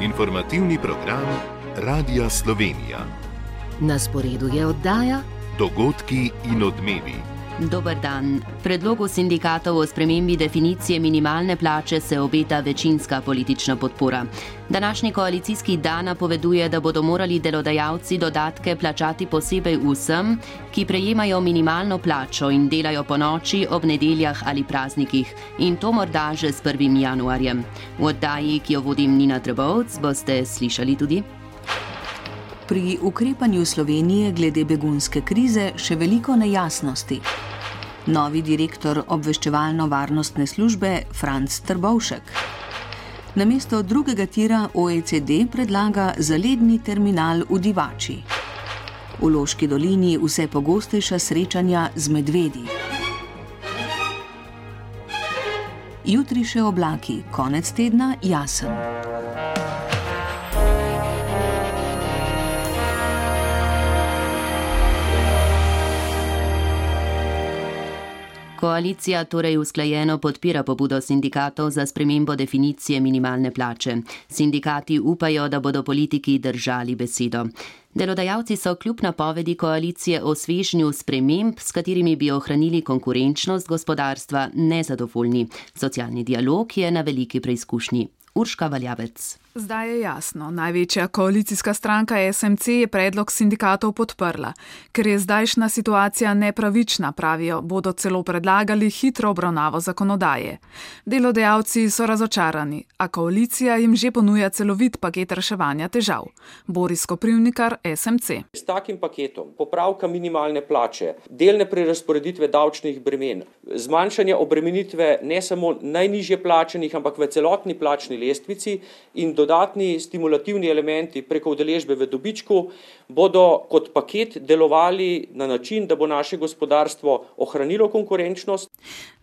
Informativni program Radia Slovenija. Na sporedu je oddaja Dogodki in odmevi. Dober dan. Predlogu sindikatov o spremembi definicije minimalne plače se obeta večinska politična podpora. Današnji koalicijski dan napoveduje, da bodo morali delodajalci dodatke plačati posebej vsem, ki prejemajo minimalno plačo in delajo ponoči, ob nedeljah ali praznikih. In to morda že s 1. januarjem. V oddaji, ki jo vodim Nina Trebovc, boste slišali tudi: pri ukrepanju Slovenije glede begunske krize še veliko nejasnosti. Novi direktor obveščevalno-varnostne službe Franc Trbovšek. Namesto drugega tira OECD predlaga zaledni terminal v Divači. V Loški dolini vse pogostejša srečanja z medvedi. Jutri še oblaki, konec tedna jasen. Koalicija torej usklajeno podpira pobudo sindikatov za spremembo definicije minimalne plače. Sindikati upajo, da bodo politiki držali besedo. Delodajalci so kljub napovedi koalicije o svežnju sprememb, s katerimi bi ohranili konkurenčnost gospodarstva, nezadovoljni. Socialni dialog je na veliki preizkušnji. Urška Valjavec. Zdaj je jasno, največja koalicijska stranka SMC je predlog sindikatov podprla. Ker je zdajšnja situacija nepravična, pravijo, bodo celo predlagali hitro obravnavo zakonodaje. Delodajalci so razočarani, a koalicija jim že ponuja celovit paket reševanja težav. Boris Koprivnikar, SMC. S takim paketom popravka minimalne plače, delne prerazporeditve davčnih bremen, zmanjšanje obremenitve ne samo najnižje plačenih, ampak v celotni plačni lestvici in dodatni stimulativni elementi preko udeležbe v dobičku bodo kot paket delovali na način, da bo naše gospodarstvo ohranilo konkurenčnost.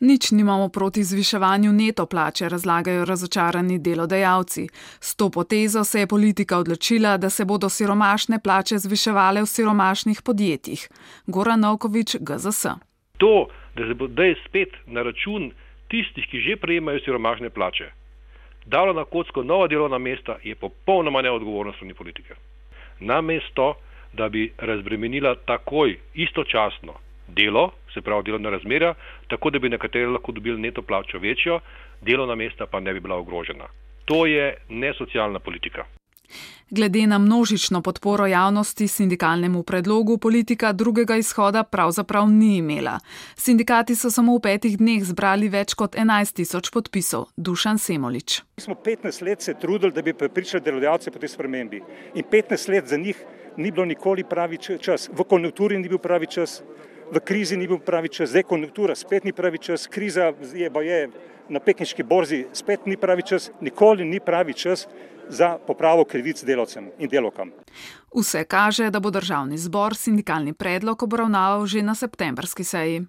Nič nimamo proti zviševanju neto plače, razlagajo razočarani delodajalci. S to potezo se je politika odločila, da se bodo siromašne plače zviševale v siromašnih podjetjih. Goran Novković, GZS. To, da se bo zdaj spet na račun tistih, ki že prejemajo siromašne plače, dalo na kocko nova delovna mesta, je popolnoma neodgovorno strani politike. Namesto, da bi razbremenila takoj, istočasno delo, se pravi delovna razmerja, tako da bi nekateri lahko dobili neto plačo večjo, delovna mesta pa ne bi bila ogrožena. To je nesocialna politika. Glede na množično podporo javnosti sindikalnemu predlogu, politika drugega izhoda pravzaprav ni imela. Sindikati so samo v 5 dneh zbrali več kot 11.000 podpisov. Dušan Semolič. Mi smo 15 let se trudili, da bi prepričali delodajalce po tej spremembi. In 15 let za njih ni bilo nikoli pravi čas. V konjunkturi ni bil pravi čas, v krizi ni bil pravi čas, zdaj konjunktura spet ni pravi čas, kriza je na pekinški borzi spet ni pravi čas, nikoli ni pravi čas za popravo krivic delavcem in delavkam. Vse kaže, da bo državni zbor sindikalni predlog obravnaval že na septembrski seji.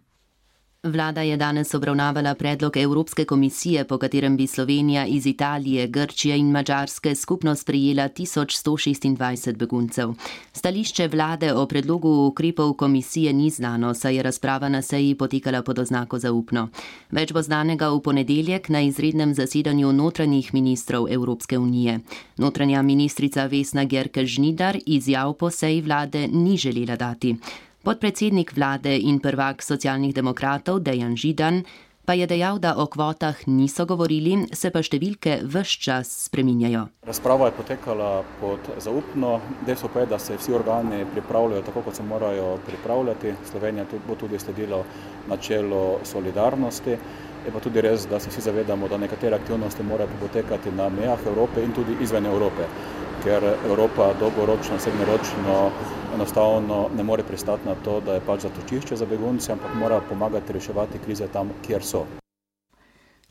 Vlada je danes obravnavala predlog Evropske komisije, po katerem bi Slovenija iz Italije, Grčije in Madžarske skupno sprejela 1126 beguncev. Stališče vlade o predlogu ukrepov komisije ni znano, saj je razprava na seji potekala pod oznako zaupno. Več bo znanega v ponedeljek na izrednem zasedanju notranjih ministrov Evropske unije. Notranja ministrica Vesna Györkös-Žnidar izjav po seji vlade ni želela dati. Podpredsednik vlade in prvak socialnih demokratov Dejan Židan pa je dejal, da o kvotah niso govorili, se pa številke ves čas spreminjajo. Razprava je potekala pod zaupno. Dejstvo pa je, da se vsi organi pripravljajo tako, kot se morajo pripravljati. Slovenija bo tudi sledila načelu solidarnosti. Je pa tudi res, da se vsi zavedamo, da nekatere aktivnosti morajo potekati na mejah Evrope in tudi izven Evrope, ker Evropa dolgoročno, srednjeročno enostavno ne more pristati na to, da je pač zatočišče za begunce, ampak mora pomagati reševati krize tam, kjer so.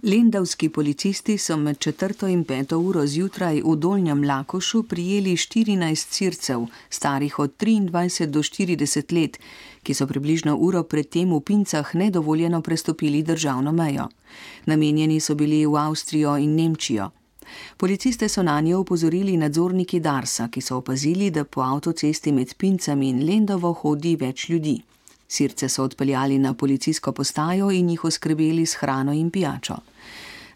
Lendavski policisti so med 4. in 5. uro zjutraj v Dolnjem Lakošu prijeli 14 Sircev, starih od 23 do 40 let, ki so približno uro predtem v Pincah nedovoljeno prestopili državno mejo. Namenjeni so bili v Avstrijo in Nemčijo. Policiste so nanje opozorili nadzorniki Darsa, ki so opazili, da po avtocesti med Pincami in Lendavo hodi več ljudi. Sirce so odpeljali na policijsko postajo in jih oskrbeli s hrano in pijačo.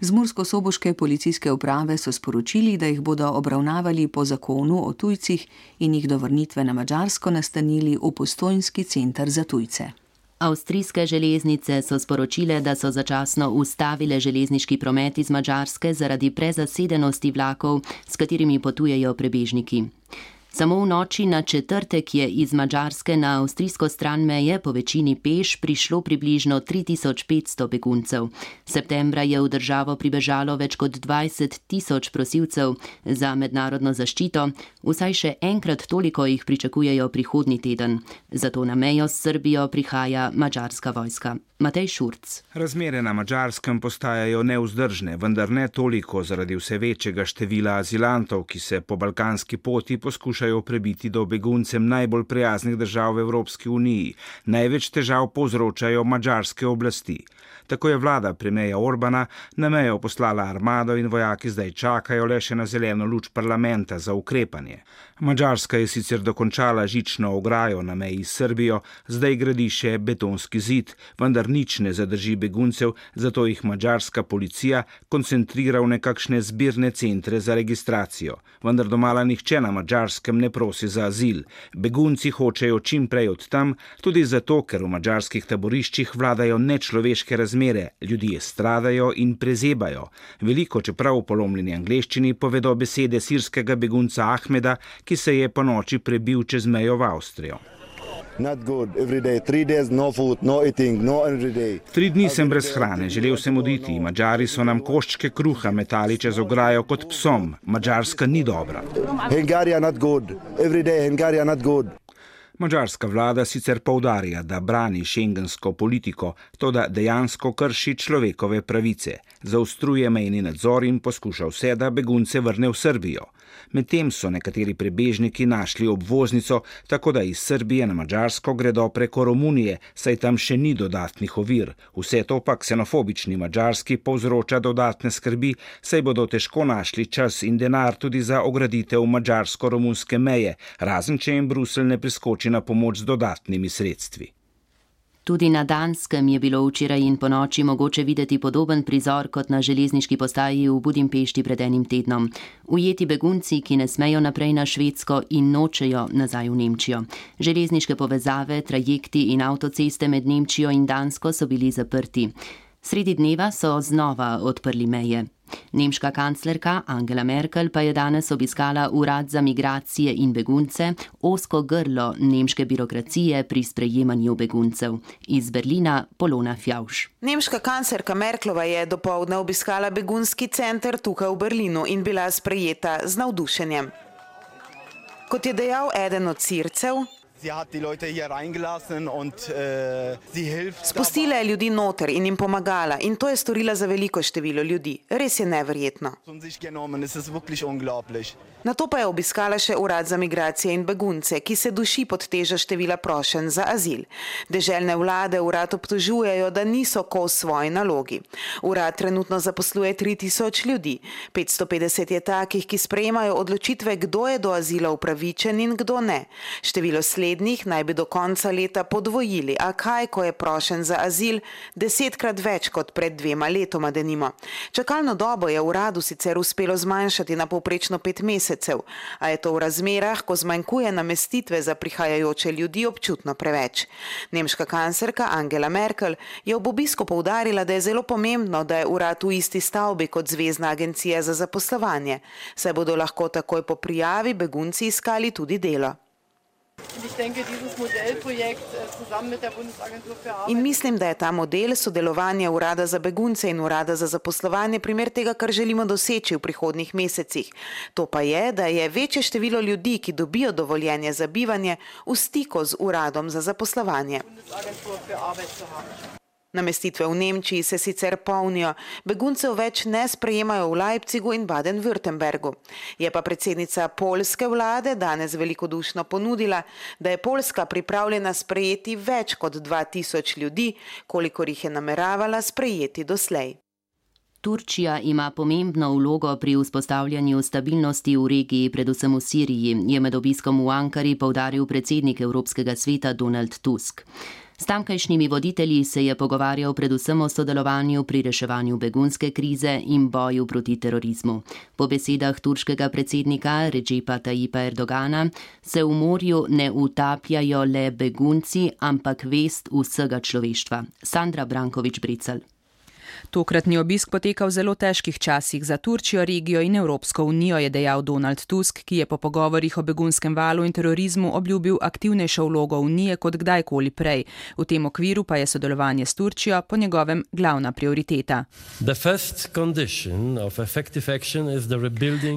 Z murskosoboške policijske uprave so sporočili, da jih bodo obravnavali po zakonu o tujcih in jih do vrnitve na Madžarsko nastanili v Postojnski center za tujce. Avstrijske železnice so sporočile, da so začasno ustavile železniški promet iz Madžarske zaradi prezasedenosti vlakov, s katerimi potujejo prebežniki. Samo v noči na četrtek je iz Madžarske na avstrijsko stran meje po večini peš prišlo približno 3500 beguncev. Septembra je v državo pribežalo več kot 20 000 prosilcev za mednarodno zaščito, vsaj še enkrat toliko jih pričakujejo prihodnji teden. Zato na mejo s Srbijo prihaja madžarska vojska. Matej Šurc. Razmere na Madžarskem postajajo nevzdržne, vendar ne toliko zaradi vse večjega števila azilantov, ki se po balkanski poti poskušajo prebiti do beguncem najbolj prijaznih držav v Evropski uniji. Največ težav povzročajo madžarske oblasti. Tako je vlada premierja Orbana na mejo poslala armado in vojaki zdaj čakajo le še na zeleno luč parlamenta za ukrepanje. Madžarska je sicer dokončala žično ograjo na meji s Srbijo, zdaj gradi še betonski zid, vendar nič ne zadrži beguncev, zato jih madžarska policija koncentrira v nekakšne zbirne centre za registracijo. Vendar domala nihče na Madžarskem ne prosi za azil. Begunci hočejo čim prej od tam, tudi zato, ker v madžarskih taboriščih vladajo nečloveške razmere, ljudje stradajo in prezebajo. Veliko, čeprav v polomljeni angleščini, povedo besede sirskega begunca Ahmeda, ki se je po noči prebil čez mejo v Avstrijo. 3 dni sem brez hrane, želel sem oditi. Madžari so nam koščke kruha metali čez ograjo kot psom. Madžarska ni dobra. Madžarska vlada sicer poudarja, da brani šengensko politiko, toda dejansko krši človekove pravice. Zaostruje mejni nadzor in poskuša vse, da begunce vrne v Srbijo. Medtem so nekateri prebežniki našli obvoznico, tako da iz Srbije na Madžarsko gredo preko Romunije, saj tam še ni dodatnih ovir. Vse to pa ksenofobični Madžarski povzroča dodatne skrbi, saj bodo težko našli čas in denar tudi za ograditev madžarsko-romunske meje, razen če jim Bruselj ne priskoči na pomoč z dodatnimi sredstvi. Tudi na Danskem je bilo včeraj in ponoči mogoče videti podoben prizor kot na železniški postaji v Budimpešti pred enim tednom. Ujeti begunci, ki ne smejo naprej na Švedsko in nočejo nazaj v Nemčijo. Železniške povezave, trajekti in avtoceste med Nemčijo in Dansko so bili zaprti. Sredi dneva so znova odprli meje. Nemška kanclerka Angela Merkel pa je danes obiskala Urad za migracije in begunce, ozko grlo nemške birokracije pri sprejemanju beguncev. Iz Berlina Polona Fjauš. Nemška kanclerka Merklova je dopoldne obiskala begunski center tukaj v Berlinu in bila sprejeta z navdušenjem. Kot je dejal eden od Sircev, spustila je ljudi noter in jim pomagala in to je storila za veliko število ljudi. Res je neverjetno. Nato pa je obiskala še Urad za migracije in begunce, ki se duši pod težo števila prošenj za azil. Deželne vlade urad obtožujejo, da niso kos svoji nalogi. Urad trenutno zaposluje 3000 ljudi. 550 je takih, ki sprejemajo odločitve, kdo je do azila upravičen in kdo ne. Število slednjih naj bi do konca leta podvojili, a kaj, ko je prošenj za azil 10-krat več kot pred 2 letoma denimo. Čakalno dobo je uradu sicer uspelo zmanjšati na povprečno 5 mesecev, a je to v razmerah, ko zmanjkuje namestitve za prihajajoče ljudi, občutno preveč. Nemška kanclerka Angela Merkel je ob obisku poudarila, da je zelo pomembno, da je urad v isti stavbi kot Zvezna agencija za zaposlovanje, saj bodo lahko takoj po prijavi begunci iskali tudi delo. In mislim, da je ta model sodelovanja Urada za begunce in Urada za zaposlovanje primer tega, kar želimo doseči v prihodnjih mesecih. To pa je, da je večje število ljudi, ki dobijo dovoljenje za bivanje, v stiku z Uradom za zaposlovanje. Namestitve v Nemčiji se sicer polnijo, beguncev več ne sprejemajo v Leipzigu in Baden-Württembergu. Je pa predsednica poljske vlade danes velikodušno ponudila, da je Poljska pripravljena sprejeti več kot 2000 ljudi, kolikor jih je nameravala sprejeti doslej. Turčija ima pomembno vlogo pri vzpostavljanju stabilnosti v regiji, predvsem v Siriji, je med obiskom v Ankari poudaril predsednik Evropskega sveta Donald Tusk. S tamkajšnjimi voditelji se je pogovarjal predvsem o sodelovanju pri reševanju begunske krize in boju proti terorizmu. Po besedah turškega predsednika Recepa Tayyipa Erdogana se v morju ne utapljajo le begunci, ampak vest vsega človeštva. Sandra Brankovič-Brecelj. Tokratni obisk poteka v zelo težkih časih za Turčijo, regijo in Evropsko unijo, je dejal Donald Tusk, ki je po pogovorih o begunskem valu in terorizmu obljubil aktivnejšo vlogo unije kot kdajkoli prej. V tem okviru pa je sodelovanje s Turčijo po njegovem glavna prioriteta.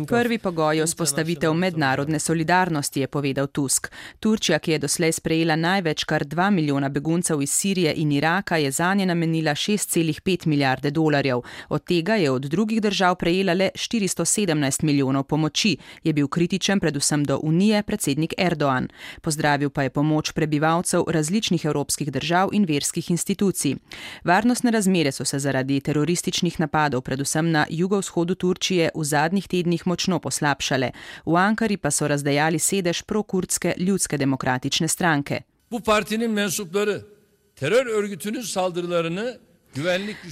Prvi pogoj je vzpostavitev mednarodne solidarnosti, je povedal Tusk. Turčija, ki je doslej sprejela največ kar 2 milijona beguncev iz Sirije in Iraka, je zanje namenila 6,5 milijarde dolarjev. Od tega je od drugih držav prejela le 417 milijonov pomoči, je bil kritičen predvsem do Unije predsednik Erdogan. Pozdravil pa je pomoč prebivalcev različnih evropskih držav in verskih institucij. Varnostne razmere so se zaradi terorističnih napadov, predvsem na jugovzhodu Turčije, v zadnjih tednih močno poslabšale. V Ankari pa so razdejali sedež prokurdske ljudske demokratične stranke. Bu partinin mensupları terör örgütünün saldırılarını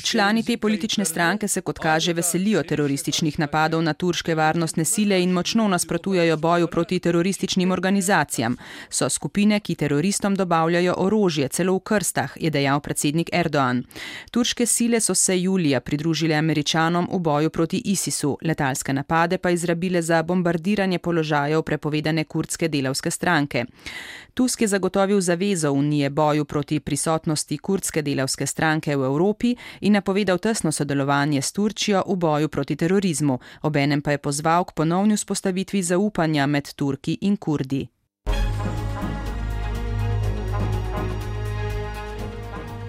Člani te politične stranke se, kot kaže, veselijo terorističnih napadov na turške varnostne sile in močno nasprotujejo boju proti terorističnim organizacijam. So skupine, ki teroristom dobavljajo orožje, celo v krstah, je dejal predsednik Erdogan. Turške sile so se julija pridružile Američanom v boju proti ISIS-u, letalske napade pa izrabile za bombardiranje položajev prepovedane kurdske delavske stranke. Tusk je zagotovil zavezo Unije boju proti prisotnosti kurdske delavske stranke v Evropi in napovedal tesno sodelovanje s Turčijo v boju proti terorizmu. Obenem pa je pozval k ponovni vzpostavitvi zaupanja med Turki in Kurdi.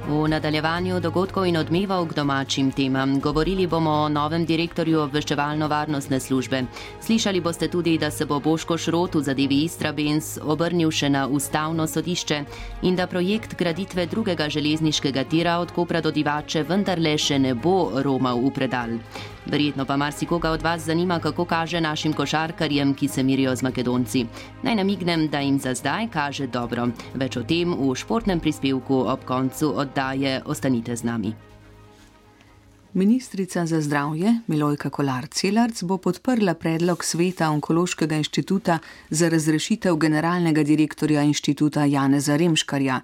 V nadaljevanju dogodkov in odmevov k domačim temam govorili bomo o novem direktorju obveščevalno-varnostne službe. Slišali boste tudi, da se bo Boško Šrot v zadevi Istrabenz obrnil še na ustavno sodišče in da projekt graditve drugega železniškega tira od Kopra do Divače vendarle še ne bo romal v predal. Verjetno pa marsikoga od vas zanima, kako kaže našim košarkarjem, ki se mirijo z Makedonci. Naj namignem, da jim za zdaj kaže dobro. Več o tem v športnem prispevku ob koncu oddaje. Ostanite z nami. Ministrica za zdravje Milojka Kolar Celarc bo podprla predlog Sveta Onkološkega inštituta za razrešitev generalnega direktorja inštituta Janeza Remškarja.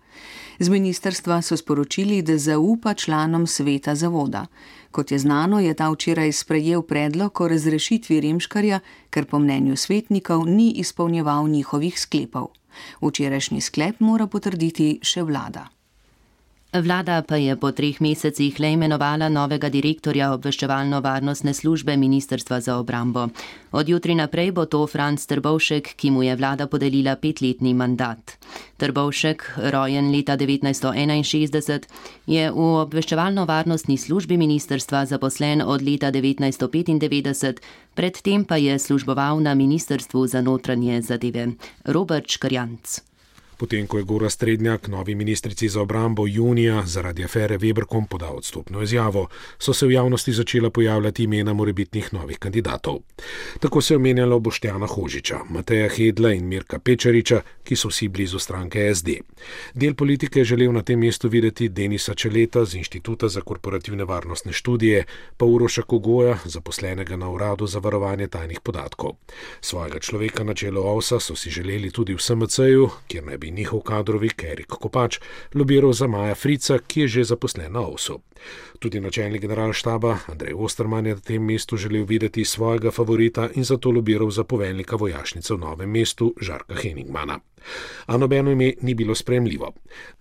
Z ministrstva so sporočili, da zaupa članom sveta zavoda. Kot je znano, je ta včeraj sprejel predlog o razrešitvi Remškarja, ker po mnenju svetnikov ni izpolnjeval njihovih sklepov. Včerajšnji sklep mora potrditi še vlada. Vlada pa je po 3 mesecih le imenovala novega direktorja obveščevalno-varnostne službe Ministrstva za obrambo. Od jutri naprej bo to Franc Trbovšek, ki mu je vlada podelila 5-letni mandat. Trbovšek, rojen leta 1961, je v obveščevalno-varnostni službi ministrstva zaposlen od leta 1995, predtem pa je služboval na Ministrstvu za notranje zadeve. Robert Škarjanc. Potem, ko je Gorazd Strednjak novi ministrici za obrambo junija zaradi afere Weberkom podal odstopno izjavo, so se v javnosti začela pojavljati imena morebitnih novih kandidatov. Tako se je omenjalo Boštjana Hožiča, Mateja Hedla in Mirka Pečariča, ki so vsi blizu stranke SD. Del politike je želel na tem mestu videti Denisa Čeleta z Inštituta za korporativne varnostne študije, pa Uroša Kogoja, zaposlenega na Uradu za varovanje tajnih podatkov. Svojega človeka na čelu OVS-a so si želeli tudi v SMC-ju, kjer naj bi njihov kadrovik Erik Kopač lobiral za Maja Frica, ki je že zaposlen na OVS-u. Tudi načelnik generalštaba Andrej Osterman je na tem mestu želel videti svojega favorita in zato lobiral za poveljnika vojašnice v Novem mestu Žarka Henigmana. A nobeno ime ni bilo sprejemljivo.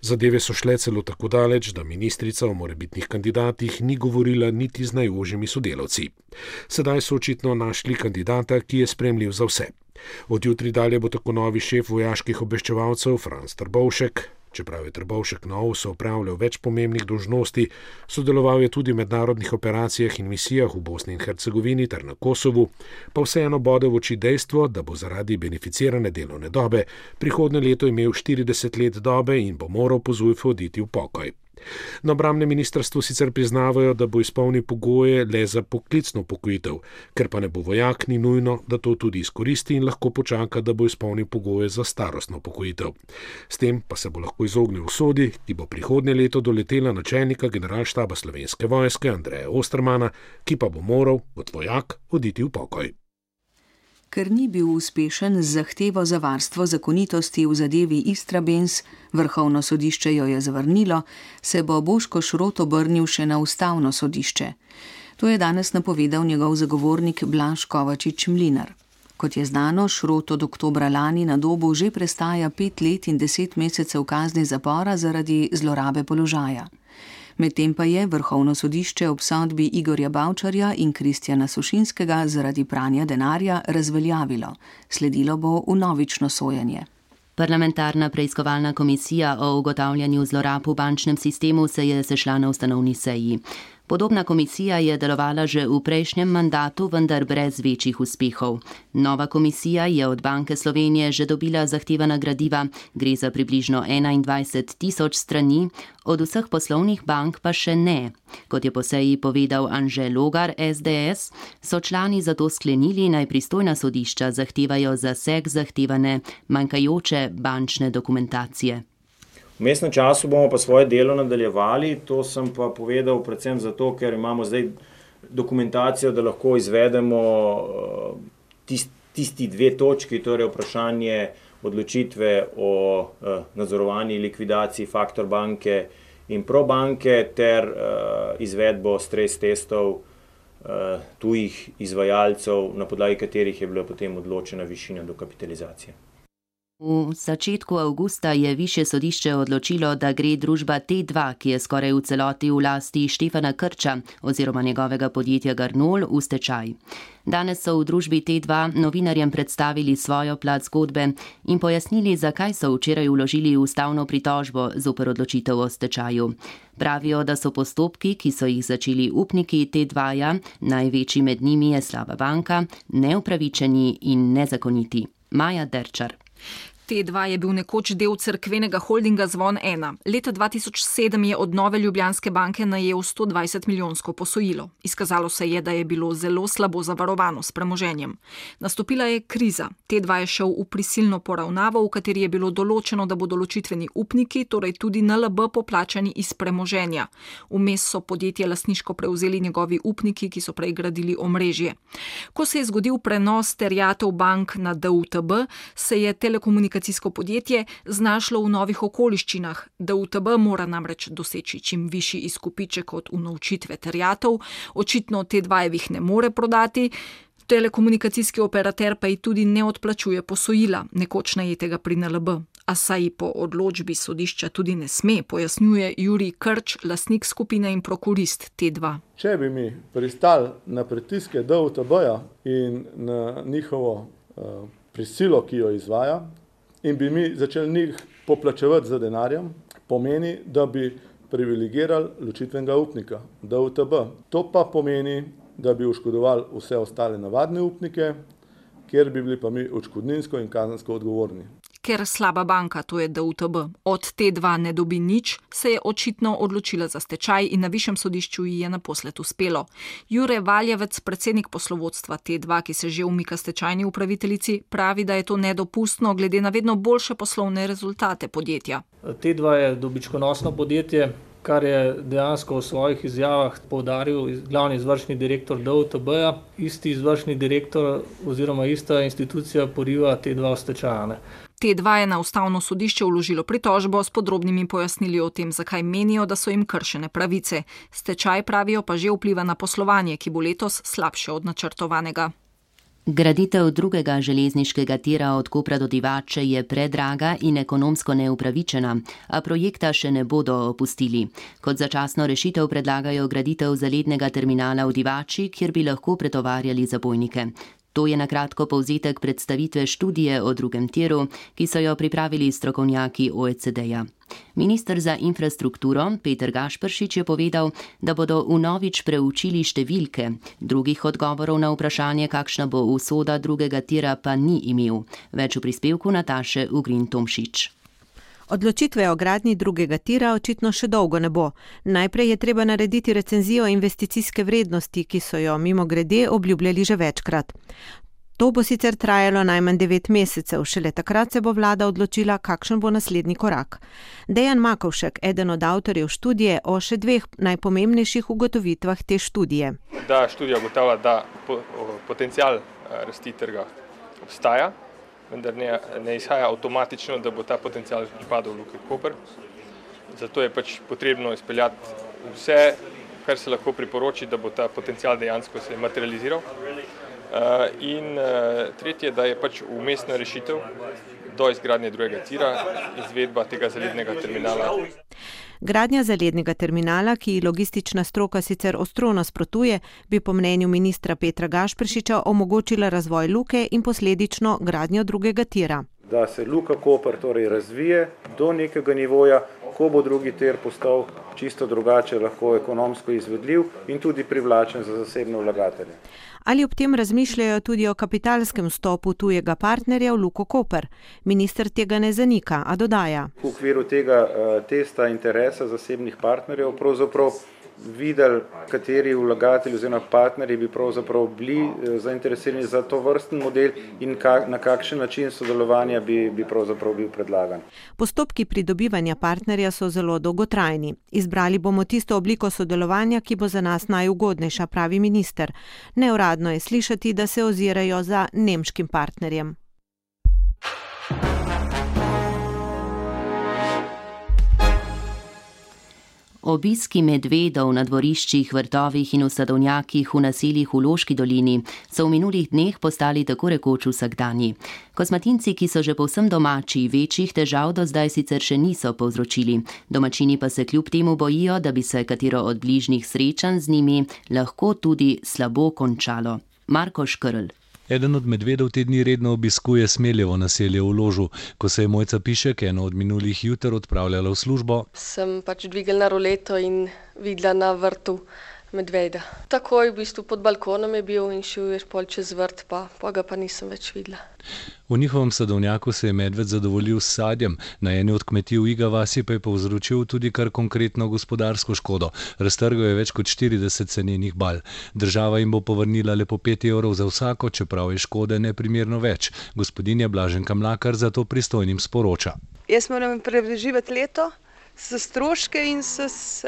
Zadeve so šle celo tako daleč, da ministrica o morebitnih kandidatih ni govorila niti z najožjimi sodelavci. Sedaj so očitno našli kandidata, ki je sprejemljiv za vse. Od jutri dalje bo tako novi šef vojaških obveščevalcev Franc Trbovšek. Čeprav je Trbovšek na OVS-u opravljal več pomembnih dolžnosti, sodeloval je tudi v mednarodnih operacijah in misijah v Bosni in Hercegovini ter na Kosovu, pa vseeno bode v oči dejstvo, da bo zaradi beneficirane delovne dobe prihodnje leto imel 40 let dobe in bo moral po ZUJF oditi v pokoj. Na obrambnem ministrstvu sicer priznavajo, da bo izpolnil pogoje le za poklicno upokojitev, ker pa ne bo vojak, ni nujno, da to tudi izkoristi in lahko počaka, da bo izpolnil pogoje za starostno upokojitev. S tem pa se bo lahko izognil usodi, ki bo prihodnje leto doletela načelnika generalštaba Slovenske vojske Andreja Ostermana, ki pa bo moral kot vojak oditi v pokoj. Ker ni bil uspešen z zahtevo za varstvo zakonitosti v zadevi Istrabenz, Vrhovno sodišče jo je zavrnilo, se bo Boško Šrot obrnil še na Ustavno sodišče. To je danes napovedal njegov zagovornik Blaž Kovačič Mlinar. Kot je znano, Šrot od oktobra lani na Dobu že prestaja 5 let in 10 mesecev kazni zapora zaradi zlorabe položaja. Medtem pa je Vrhovno sodišče ob sodbi Igorja Bavčarja in Kristjana Sušinskega zaradi pranja denarja razveljavilo. Sledilo bo vnovično sojenje. Parlamentarna preiskovalna komisija o ugotavljanju zlorab v bančnem sistemu se je sešla na ustanovni seji. Podobna komisija je delovala že v prejšnjem mandatu, vendar brez večjih uspehov. Nova komisija je od Banke Slovenije že dobila zahtevana gradiva, gre za približno 21.000 strani, od vseh poslovnih bank pa še ne. Kot je po seji povedal Anže Logar, SDS, so člani zato sklenili, naj pristojna sodišča zahtevajo zaseg zahtevane manjkajoče bančne dokumentacije. V vmesnem času bomo pa svoje delo nadaljevali, to sem pa povedal predvsem zato, ker imamo zdaj dokumentacijo, da lahko izvedemo tisti 2 točki, torej vprašanje odločitve o nadzorovanji likvidaciji Faktor banke in Probanke ter izvedbo stres testov tujih izvajalcev, na podlagi katerih je bila potem odločena višina dokapitalizacije. V začetku avgusta je višje sodišče odločilo, da gre družba T2, ki je skoraj v celoti v lasti Štefana Krča oziroma njegovega podjetja Garnol, v stečaj. Danes so v družbi T2 novinarjem predstavili svojo plat zgodbe in pojasnili, zakaj so včeraj vložili ustavno pritožbo zoper odločitev o stečaju. Pravijo, da so postopki, ki so jih začeli upniki T2-ja, največji med njimi je Slaba banka, neupravičeni in nezakoniti. Maja Derčar. T2 je bil nekoč del cerkvenega holdinga Zvon 1. Leta 2007 je od Nove Ljubljanske banke najel 120 milijonsko posojilo. Izkazalo se je, da je bilo zelo slabo zavarovano s premoženjem. Nastopila je kriza. T2 je šel v prisilno poravnavo, v kateri je bilo določeno, da bodo ločitveni upniki, torej tudi NLB, poplačani iz premoženja. Vmes so podjetje lastniško prevzeli njegovi upniki, ki so prej gradili omrežje. Ko se je zgodil prenos terjatev bank na DUTB, se je telekomunikacijsko podjetje znašlo v novih okoliščinah. DUTB mora namreč doseči čim višji izkupiček od unovčitve terjatev, očitno T2-jevih ne more prodati, telekomunikacijski operater pa ji tudi ne odplačuje posojila, nekoč najetega pri NLB. A saj po odločbi sodišča tudi ne sme, pojasnjuje Jurij Krč, lastnik skupine in prokurist T2. Če bi mi pristali na pritiske DUTB-ja in na njihovo prisilo, ki jo izvaja, in bi mi začeli njih poplačevati za denarjem, pomeni, da bi privilegirali ločitvenega upnika, DUTB. To pa pomeni, da bi oškodovali vse ostale navadne upnike, kjer bi bili pa mi odškodninsko in kazensko odgovorni. Ker Slaba banka, to je DUTB, od T2 ne dobi nič, se je očitno odločila za stečaj in na višjem sodišču ji je naposled uspelo. Jure Valjevec, predsednik poslovodstva T2, ki se že umika stečajni upraviteljici, pravi, da je to nedopustno glede na vedno boljše poslovne rezultate podjetja. T2 je dobičkonosno podjetje, kar je dejansko v svojih izjavah poudaril glavni izvršni direktor DUTB-ja. Isti izvršni direktor oziroma ista institucija poriva T2 v stečaj. T2 je na Ustavno sodišče vložilo pritožbo s podrobnimi pojasnili o tem, zakaj menijo, da so jim kršene pravice. Stečaj, pravijo, pa že vpliva na poslovanje, ki bo letos slabše od načrtovanega. Graditev drugega železniškega tira od Kopra do Divače je predraga in ekonomsko neupravičena, a projekta še ne bodo opustili. Kot začasno rešitev predlagajo graditev zalednega terminala v Divači, kjer bi lahko pretovarjali zabojnike. To je na kratko povzetek predstavitve študije o drugem tiru, ki so jo pripravili strokovnjaki OECD-ja. Minister za infrastrukturo Peter Gašperšič je povedal, da bodo vnovič preučili številke. Drugih odgovorov na vprašanje, kakšna bo usoda drugega tira, pa ni imel. Več v prispevku Nataše Ugrin Tomšič. Odločitve o gradnji drugega tira očitno še dolgo ne bo. Najprej je treba narediti recenzijo investicijske vrednosti, ki so jo mimogrede obljubljali že večkrat. To bo sicer trajalo najmanj 9 mesecev, šele takrat se bo vlada odločila, kakšen bo naslednji korak. Dejan Makovšek, eden od avtorjev študije, o še 2 najpomembnejših ugotovitvah te študije. Da študija ugotavlja, da potencial rasti trga obstaja, vendar ne izhaja avtomatično, da bo ta potencial pripadal Luki Koper. Zato je potrebno izpeljati vse, kar se lahko priporoči, da bo ta potencial dejansko se materializiral. In tretje, da je vmesna rešitev do izgradnje drugega tira, izvedba tega zalednega terminala. Gradnja zalednega terminala, ki logistična stroka sicer ostro nasprotuje, bi po mnenju ministra Petra Gašperšiča omogočila razvoj luke in posledično gradnjo drugega tira. Da se Luka Koper torej razvije do nekega nivoja, ko bo drugi tir postal čisto drugače, lahko ekonomsko izvedljiv in tudi privlačen za zasebne vlagatelje. Ali ob tem razmišljajo tudi o kapitalskem vstopu tujega partnerja v Luko Koper? Minister tega ne zanika, a dodaja. V okviru tega testa interesa zasebnih partnerjev pravzaprav videli, kateri vlagatelji oziroma partnerji bi pravzaprav bili zainteresirani za to vrsten model in na kakšen način sodelovanja bi pravzaprav bil predlagan. Postopki pridobivanja partnerja so zelo dolgotrajni. Izbrali bomo tisto obliko sodelovanja, ki bo za nas najugodnejša, pravi minister. Neuradno je slišati, da se ozirajo za nemškim partnerjem. Obiski medvedov na dvoriščih, vrtovih in v sadovnjakih v naseljih v Loški dolini so v minulih dneh postali tako rekoč vsakdanji. Kosmatinci, ki so že povsem domači, večjih težav do zdaj sicer še niso povzročili. Domačini pa se kljub temu bojijo, da bi se katero od bližnjih srečanj z njimi lahko tudi slabo končalo. Marko Škrl. Eden od medvedov te dni redno obiskuje Smeljevo naselje v Ložu. Ko se je Mojca Pišek eno od minulih juter odpravljala v službo, sem dvignila roleto in videla na vrtu medveda. Takoj v bistvu pod balkonom je bil in šel je pol čez vrt, pa ga pa nisem več videla. V njihovem sadovnjaku se je medved zadovoljil s sadjem, na eni od kmetij v Iga vasi pa je povzročil tudi kar konkretno gospodarsko škodo. Raztrgal je več kot 40 senenih bal. Država jim bo povrnila le po 5 evrov za vsako, čeprav je škode neprimerno več. Gospodinja Blaženka Mlakar zato pristojnim sporoča. Jaz moram preživeti leto s stroške in s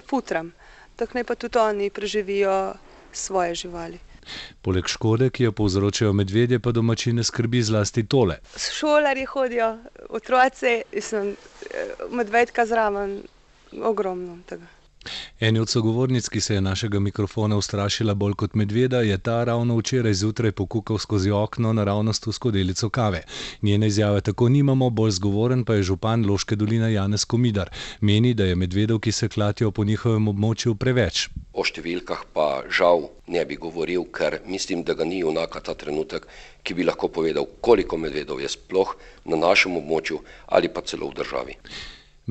futram. Tako naj pa tudi oni preživijo svoje živali. Poleg škode, ki jo povzročajo medvedje, pa domačine skrbi zlasti tole. Šolarji hodijo, otroci, medvedka zraven, ogromno tega. Eni od sogovornic, ki se je našega mikrofona ustrašila bolj kot medveda, je ta ravno včeraj zjutraj pokukal skozi okno naravnost v skodelico kave. Njene izjave tako nimamo, bolj zgovoren pa je župan Loške doline Janez Komidar. Meni, da je medvedov, ki se klatijo po njihovem območju, preveč. O številkah pa žal ne bi govoril, ker mislim, da ga ni junaka ta trenutek, ki bi lahko povedal, koliko medvedov je sploh na našem območju ali pa celo v državi.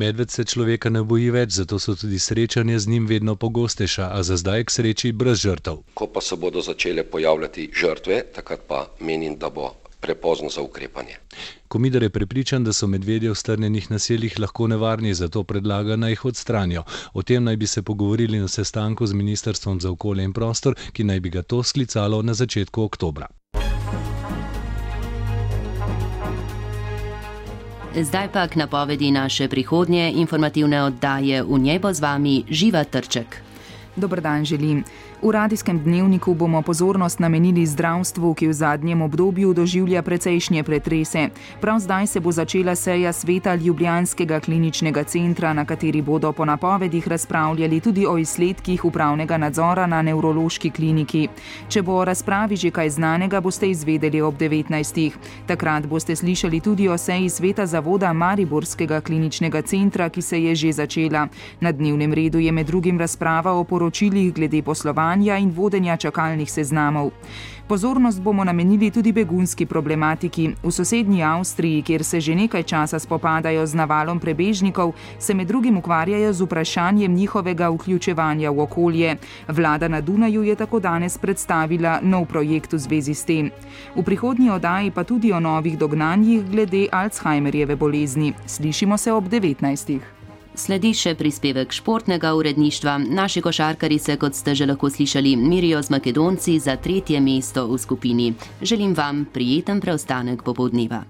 Medved se človeka ne boji več, zato so tudi srečanja z njim vedno pogostejša, a za zdaj k sreči brez žrtev. Ko pa se bodo začele pojavljati žrtve, takrat pa menim, da bo prepozno za ukrepanje. Komidar je prepričan, da so medvedje v strnjenih naseljih lahko nevarni, zato predlaga, naj jih odstranijo. O tem naj bi se pogovorili na sestanku z Ministrstvom za okolje in prostor, ki naj bi ga to sklicalo na začetku oktobra. Zdaj pa k napovedi naše prihodnje informativne oddaje. V njej bo z vami Živa Trček. Dober dan želim. V radijskem dnevniku bomo pozornost namenili zdravstvu, ki v zadnjem obdobju doživlja precejšnje pretrese. Prav zdaj se bo začela seja sveta Ljubljanskega kliničnega centra, na kateri bodo po napovedih razpravljali tudi o izsledkih upravnega nadzora na nevrološki kliniki. Če bo o razpravi že kaj znanega, boste izvedeli ob 19. Takrat boste slišali tudi o seji sveta zavoda Mariborskega kliničnega centra, ki se je že začela. Na dnevnem redu je med drugim razprava o poročilih glede poslovanja vključevanja in vodenja čakalnih seznamov. Pozornost bomo namenili tudi begunski problematiki. V sosednji Avstriji, kjer se že nekaj časa spopadajo z navalom prebežnikov, se med drugim ukvarjajo z vprašanjem njihovega vključevanja v okolje. Vlada na Dunaju je tako danes predstavila nov projekt v zvezi s tem. V prihodnji oddaji pa tudi o novih dognanjih glede Alzheimerjeve bolezni. Slišimo se ob 19. Sledi še prispevek športnega uredništva. Naši košarkarji se, kot ste že lahko slišali, mirijo z Makedonci za 3. mesto v skupini. Želim vam prijeten preostanek popoldneva.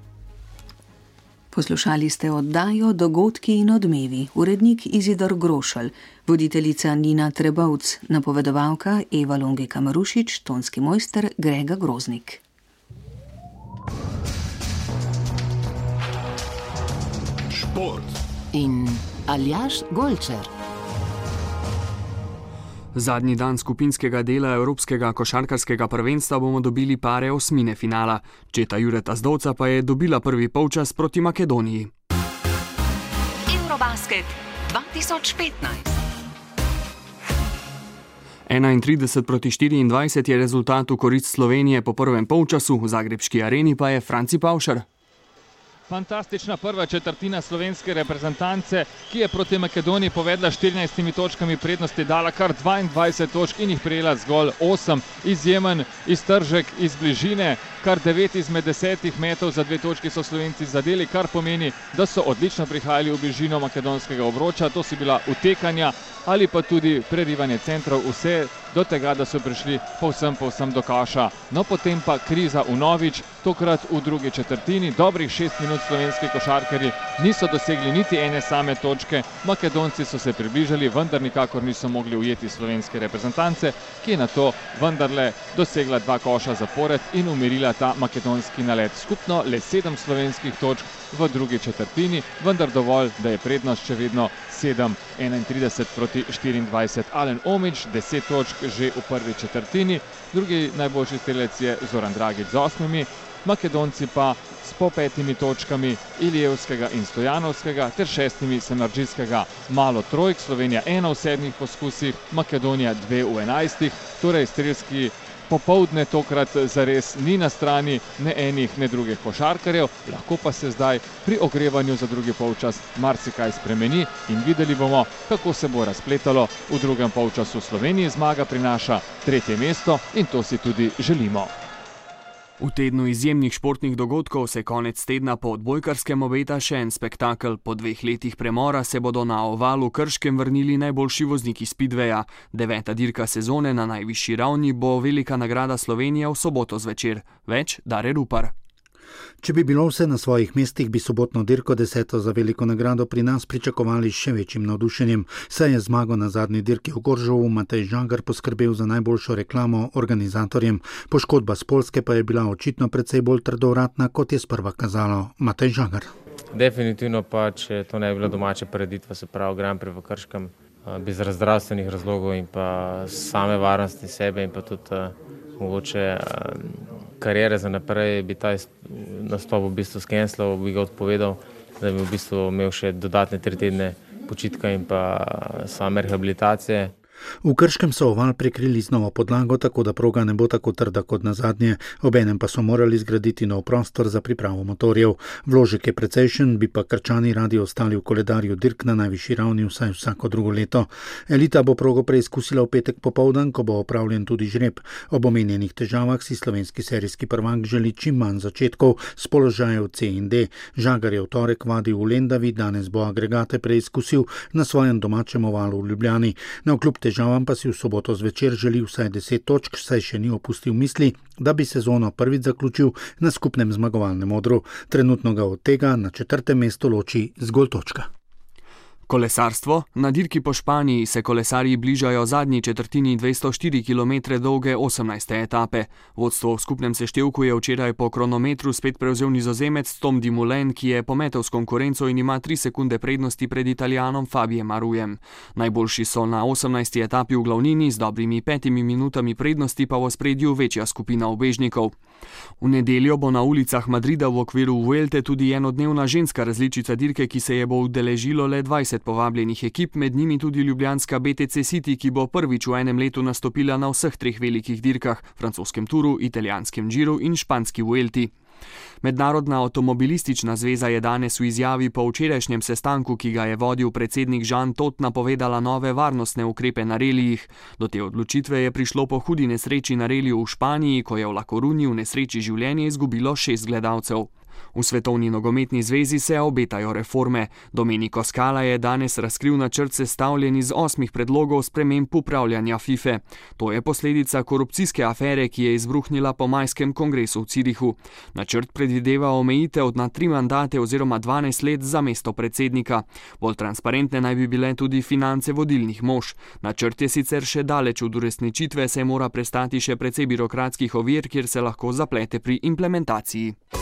Poslušali ste oddajo Dogodki in odmevi, urednik Izidor Grošelj, voditeljica Nina Trebovc, napovedovalka Eva Longeka Marušič, tonski mojster Grega Groznik. Šport in Aljaž Golčer. Zadnji dan skupinskega dela Evropskega košarkarskega prvenstva bomo dobili pare osmine finala. Četa Jureta Zdovca pa je dobila prvi polčas proti Makedoniji. Eurobasket 2015. 31-24 je rezultat v korist Slovenije po prvem polčasu, v zagrebški areni pa je Franci Pavšar. Fantastična prva četrtina slovenske reprezentance, ki je proti Makedoniji povedla 14 točkami prednosti, dala kar 22 točk in jih prejela zgolj 8. Izjemen iztržek iz bližine, kar 9 izmed 10 metov za 2 točki so Slovenci zadeli, kar pomeni, da so odlično prihajali v bližino makedonskega obroča. To so bila utekanja ali pa tudi prerivanje centrov, vse do tega, da so prišli povsem do kaša. No, potem pa kriza vnovič, tokrat v drugi četrtini. Dobrih 6 minut slovenski košarkarji niso dosegli niti ene same točke. Makedonci so se približali, vendar nikakor niso mogli ujeti slovenske reprezentance, ki je na to vendarle dosegla 2 koša zapored in umirila ta makedonski nalet. Skupno le 7 slovenskih točk v drugi četrtini, vendar dovolj, da je prednost še vedno 7-31 proti 24. Alen Omić 10 točk že v prvi četrtini, drugi najboljši strelec je Zoran Dragić z 8, Makedonci pa s po 5 točkami Ilijevskega in Stojanovskega ter 6 Samardžijskega. Malo trojk, Slovenija 1 v 7 poskusih, Makedonija 2 v 11, torej strelski popoldne tokrat zares ni na strani ne enih, ne drugih košarkarjev, lahko pa se zdaj pri ogrevanju za drugi polčas marsikaj spremeni in videli bomo, kako se bo razpletalo v drugem polčasu. Sloveniji zmaga prinaša 3. mesto in to si tudi želimo. V tednu izjemnih športnih dogodkov se konec tedna po odbojkarskem obeta še en spektakel. Po 2 letih premora se bodo na ovalu Krškem vrnili najboljši vozniki Speedwaya. 9. dirka sezone na najvišji ravni bo velika nagrada Slovenije v soboto zvečer. Več Dare Rupar. Če bi bilo vse na svojih mestih, bi sobotno dirko 10. za veliko nagrado pri nas pričakovali še večjim navdušenjem. Saj je zmago na zadnji dirki v Goržovu Matej Žagar poskrbel za najboljšo reklamo organizatorjem. Poškodba s Poljske pa je bila očitno precej bolj trdovratna, kot je sprva kazalo. Matej Žagar. Definitivno pa, če to ne bi bilo domače prireditve, se pravi Grand Prix v Krškem, bi zaradi zdravstvenih razlogov in pa same varnosti sebe in pa tudi mogoče karijere za naprej, bi ta nastop v bistvu skenslal, bi ga odpovedal, da bi v bistvu imel še dodatne 3 tedne počitka in pa same rehabilitacije. V Krškem so oval prekrili z novo podlago, tako da proga ne bo tako trda kot nazadnje, obenem pa so morali zgraditi nov prostor za pripravo motorjev. Vložek je precejšen, bi pa Krčani radi ostali v koledarju dirk na najvišji ravni vsaj vsako drugo leto. Elita bo progo preizkusila v petek popoldan, ko bo opravljen tudi žreb. Ob omenjenih težavah si slovenski serijski prvak želi čim manj začetkov s položajev C in D. Žagar je v torek vadil v Lendavi, danes bo agregate preizkusil na svojem domačem ovalu v Ljubljani. Navkljub težavam pa si v soboto zvečer želi vsaj 10 točk, saj še ni opustil misli, da bi sezono prvič zaključil na skupnem zmagovalnem odru. Trenutno ga od tega na 4. mestu loči zgolj točka. Kolesarstvo. Na dirki po Španiji se kolesarji bližajo zadnji četrtini 204 km dolge 18. etape. Vodstvo v skupnem seštevku je včeraj po kronometru spet prevzel Nizozemec Tom Dumoulin, ki je pometel s konkurenco in ima 3 sekunde prednosti pred Italijanom Fabijem Arujem. Najboljši so na 18. etapi v glavnini, z dobrimi 5 minutami prednosti pa v ospredju večja skupina ubežnikov. V nedeljo bo na ulicah Madrida v okviru Vuelte tudi enodnevna ženska različica dirke, ki se je bo udeležilo le 20 povabljenih ekip, med njimi tudi ljubljanska BTC City, ki bo prvič v enem letu nastopila na vseh treh velikih dirkah, francoskem Turu, italijanskem Giru in španski Vuelti. Mednarodna avtomobilistična zveza je danes v izjavi po včerajšnjem sestanku, ki ga je vodil predsednik Jean Todt, napovedala nove varnostne ukrepe na relijih. Do te odločitve je prišlo po hudi nesreči na reliju v Španiji, ko je v La Coruni v nesreči življenje izgubilo 6 gledalcev. V Svetovni nogometni zvezi se obetajo reforme. Domenico Scala je danes razkril načrt sestavljen iz 8 predlogov sprememb upravljanja FIFA. To je posledica korupcijske afere, ki je izbruhnila po majskem kongresu v Zürichu. Načrt predvideva omejitev na 3 mandate oziroma 12 let za mesto predsednika. Bolj transparentne naj bi bile tudi finance vodilnih mož. Načrt je sicer še daleč od uresničitve, saj mora prestati še precej birokratskih ovir, kjer se lahko zaplete pri implementaciji.